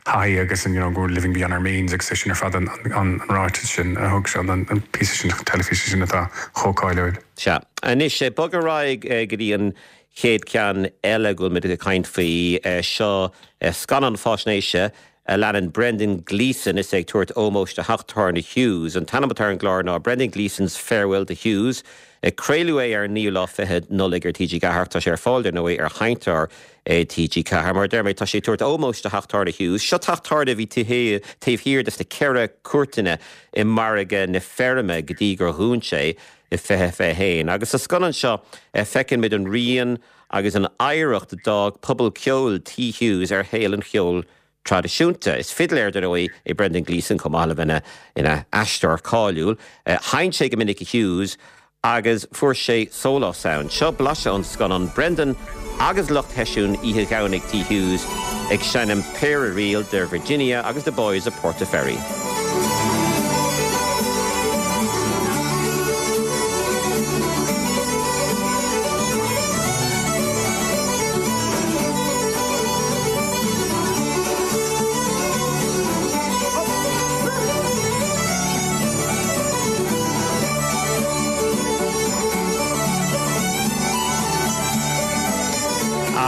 thaithí agus an you know, go living beyond our means agus é sin ar fad an, an, an ráiteas sin a thug sé an, an píosa sin teilifíse sin atá chomh cáiliúil. Sea. Anois, bog ar aghaidh go dtí an chéad ceann eile go bhfuil muid ag caint faoi seo, scannán faisnéise a leanann Brendan Gleeson is é ag tabhairt ómóis do theach tábhairne Hughes. An t-ainm atá ar an gclár ná Brendan Gleeson's Farewell to Hughes. Craoladh é ar an naoú lá fichead Nollaig ar T G Ceathair. Tá sé ar fáil, dar ndóigh, ar sheinnteoir T G Ceathair. Mar a deir mé, tá sé ag tabhairt ómóis do theach tábhairne Hughes. Seo teach tábhairne a bhí taobh thiar de sna ceithre cúirteanna i margadh na feirme go dtí gur dhún sé i fiche fiche haon. Agus sa scannán seo feiceann muid an rian agus an oidhreacht a d'fhág pobal ceoil Tí Hughes ar shaol an cheoil traidisiúnta. Is fidléir, dar ndóigh, é Brendan Gleeson chomh maith le bheith ina aisteoir cáiliúil. Sheinn sé go minic i Hughes agus fuair sé sólás ann. Seo blaiseadh ón scannán Brendan agus lucht sheisiún oíche Dhomhnaigh Tí Hughes ag seinm péire ríl de Virginia agus The Boys of Portaferry.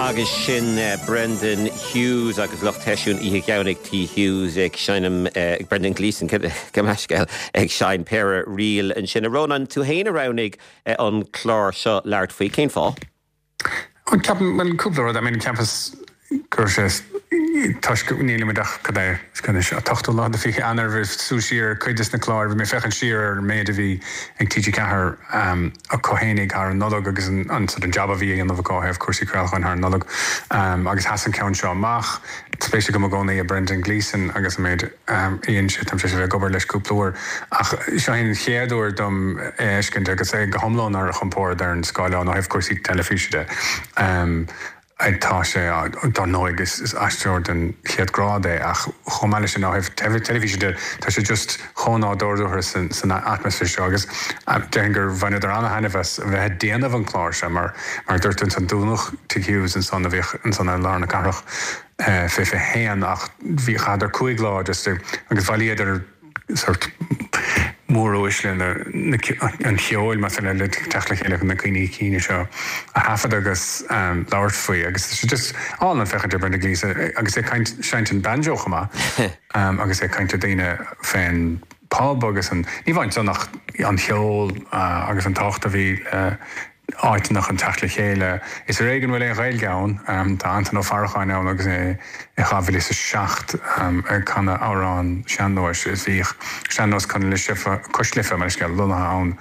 Agus sin Brendan Hughes agus lucht sheisiún oíche Dhomhnaigh Tí Hughes ag seinm ag Brendan Gleeson gabh mo leithscéal ag seinm péire ríl ansin. A Rónáin, tú féin a roghnaigh an clár seo labhairt faoi. Cén fáth? Ceapaim, bhuel, cúpla rud. I mean, cheapas go raibh sé toisc nílimid ach cad é, anois an t-ochtú lá de fiche Eanáir, bhí súil siar ar cuid de na cláir, bhí mé ag féachaint siar ar an méid a bhí ag T G Ceathair acu fhéinig thar an Nollaig agus an an sort of jab a bhí á dhéanamh acu ó thaobh cúrsaí craolacháin thar an Nollaig agus sheas an ceann seo amach. Spéis agam i gcónaí i Brendan Gleeson agus an méid a dhein sé, táim tar éis a bheith ag obair leis cúpla uair ach seo é an chéad uair dom é a fheiscint agus é go hiomlán ar a chompord ar an scáileán ó thaobh cúrsaí teilifíse de. Tá sé, dar ndóigh, is aisteoir den chéad ghrád é ach chomh maith leis sin ó thaobh teilifíse de, tá sé just chomh nádúrtha san atmaisféar seo agus déarfainn gur bhaineadar an-thaitneamh as a bheith ag déanamh an chláir seo mar mar a dúirt tú ansan dúnadh Tigh Hughes ansan a bhíodh ansan i lár na cathrach fiche fiche haon ach bhí chaitheadar cúig lá just agus bhailíodar sórt móruaisle an cheoil, más ea, le teacht le chéile chun na cuimhní cinn seo a thaifead agus labhairt faoi. Agus tá sé just álainn féachaint ar Brendan Gleeson agus é ag caint, seinnt an banjo chomh maith agus é ag caint le daoine fén pub agus an, ní amháin san ach an cheol agus an tábhacht a bhí le áiteanna chun teacht le chéile. Is ar éigean bhfuil aon Ghaeilge ann. Tá Antain Ó Faracháin ann agus é i dhá mhíle is a seacht ag canadh amhrán sean-nóis. Is bhíodh Sean-Nós Cois Life, mar is scéal, lonnaithe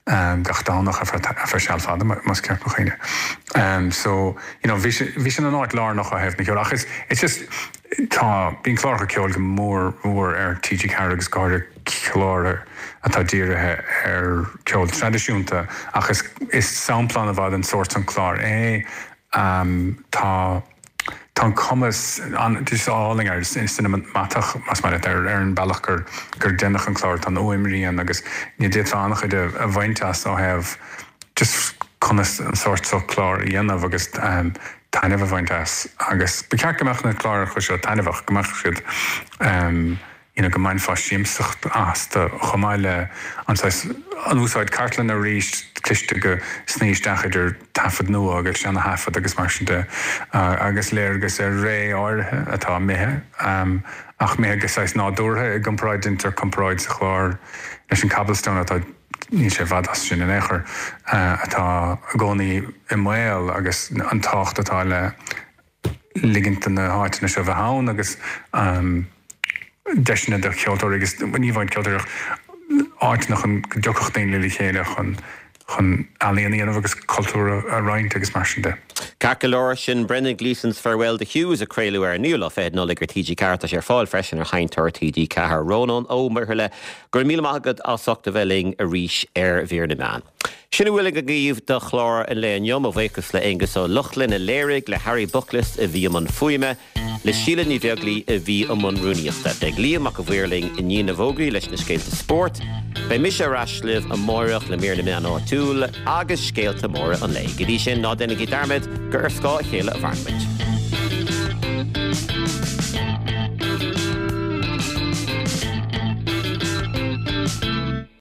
ann gach Domhnach ar feadh seal fada, más ceart mo chuimhne. So, you know, bhí bhí sin an áit lárnach ó thaobh na ceoil. Ach is, it's just, tá, bíonn cláracha ceoil go mór mhór ar T G Ceathair agus go háirithe cláir atá dírithe ar cheol traidisiúnta ach is is sampla an-mhaith den sórt san clár é. Tá tá an cumas an just álainn air, cineamatach más maith leat ar ar an bealach gur gur deineadh an clár, tá an fhuaimrian agus ní d'fhéadfá an-chuid a bhaint as ó thaobh just conas an sórt seo clár a dhéanamh agus taitneamh a bhaint as agus ba cheart go mbeadh na cláracha seo taitneamhach go mbeadh siad um, you know, go mbainfeá siamsaíocht astu chomh maith le an an úsáid cartlann arís cliste go sní isteach idir taifead nua agus seana-thaifead agus mar sin de agus léargas ar ré áirithe atá imithe um, ach imithe go saghas nádúrtha i gcomparáid déantar comparáid sa chlár leis an Cobblestone atá níl sé i bhfad as sin in aon chor atá i gcónaí i mbaol agus an tábhacht atá le ligint do na háiteanna seo bheith ann agus um, deiseanna do cheoltóirí agus ní amháin ceoltóirí áiteanna chun go dtiocfadh daoine le chéile chun chun ealaíon a dhéanamh agus cultúr a roinnt agus mar sin de. Ceart go leor sin Brendan Gleeson's Farewell to Hughes a craoladh ar an naoú lá fichead Nollaig ar TG Ceathair tá sé ar fáil freisin ar sheinnteoir TG Ceathair Rónán Ó Muirthile go raibh míle maith agat as ucht a bheith linn arís ar Mhír na Meán. Sin a bhfuil agaibh do chlár an lae inniu mo bhuíochas le Aengus Ó Lochlainn a léirigh le Harry Bucklis a bhí i mbun fuaime, le Síle Ní Bheaglaoich a bhí i mbun rúnaíochta. Beidh Liam Mac a' Mhaoir linn i ndiaidh na bhfógraí leis na scéalta spóirt. Beidh mise ar ais libh amárach le mír na meán áitiúil agus scéalta móra an lae. Go dtí sin ná déanaigí dearmad gur ar scáth a chéile a mhaireann muid.